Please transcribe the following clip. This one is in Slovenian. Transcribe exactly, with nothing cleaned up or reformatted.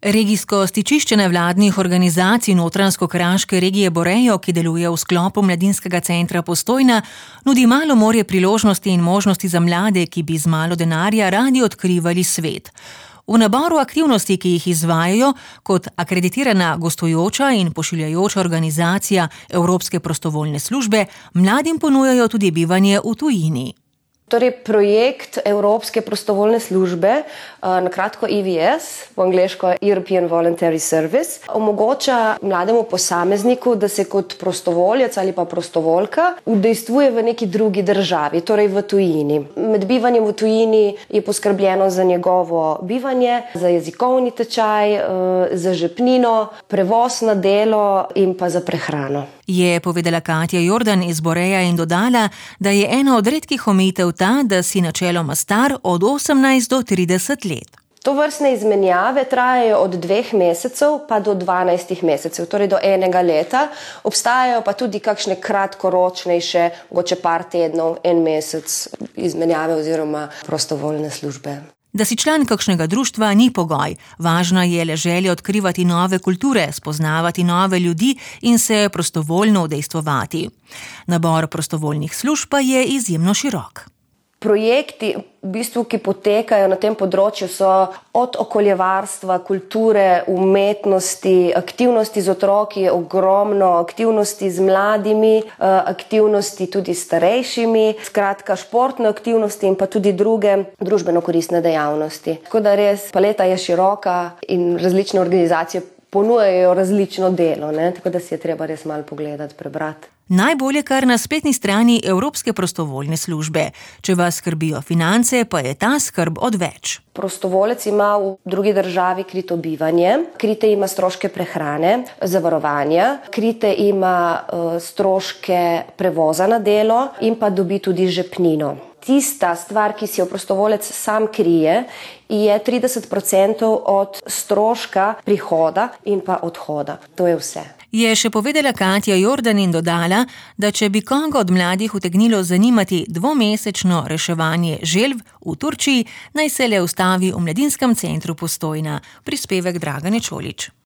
Regijsko stičišče nevladnih organizacij Notranjsko-kraške regije Borejo, ki deluje v sklopu Mladinskega centra Postojna, nudi malo morje priložnosti in možnosti za mlade, ki bi z malo denarja radi odkrivali svet. V naboru aktivnosti, ki jih izvajajo kot akreditirana gostujoča in pošiljajoča organizacija Evropske prostovoljne službe, mladim ponujajo tudi bivanje v tujini. Torej, projekt Evropske prostovoljne službe, na kratko E V S, po angleško European Voluntary Service, omogoča mlademu posamezniku, da se kot prostovoljec ali pa prostovoljka udejstvuje v neki drugi državi, torej v tujini. Med bivanjem v tujini je poskrbljeno za njegovo bivanje, za jezikovni tečaj, za žepnino, prevoz na delo in pa za prehrano. Je povedala Katja Jordan iz Boreja in dodala, da je ena od redkih omejitev ta, da si načeloma star od osemnajst do trideset let. Tovrstne izmenjave trajajo od dveh mesecev pa do dvanajstih mesecev, torej do enega leta. Obstajajo pa tudi kakšne kratkoročnejše, mogoče par tednov, en mesec izmenjave oziroma prostovoljne službe. Da si član kakšnega društva ni pogoj, važna je le želja odkrivati nove kulture, spoznavati nove ljudi in se prostovoljno udejstvovati. Nabor prostovoljnih služb pa je izjemno širok. Projekti, v bistvu, ki potekajo na tem področju, so od okoljevarstva, kulture, umetnosti, aktivnosti z otroki, ogromno aktivnosti z mladimi, aktivnosti tudi s starejšimi, skratka športne aktivnosti in pa tudi druge družbeno koristne dejavnosti. Tako da res paleta je široka in različne organizacije ponujajo različno delo, ne? Tako da si je treba res malo pogledati, prebrati. Najbolje kar na spletni strani Evropske prostovoljne službe. Če vas skrbijo finance, pa je ta skrb odveč. Prostovolec ima v drugi državi krito bivanje, krite ima stroške prehrane, zavarovanja, krite ima uh, stroške prevoza na delo in pa dobi tudi žepnino. Tista stvar, ki si jo prostovolec sam krije, je trideset procentov od stroška prihoda in pa odhoda. To je vse. Je še povedala Katja Jordan in dodala, da če bi koga od mladih utegnilo zanimati dvomesečno reševanje želv v Turčiji, naj se le ustavi v Mladinskem centru Postojna. Prispevek Dragane Čolić.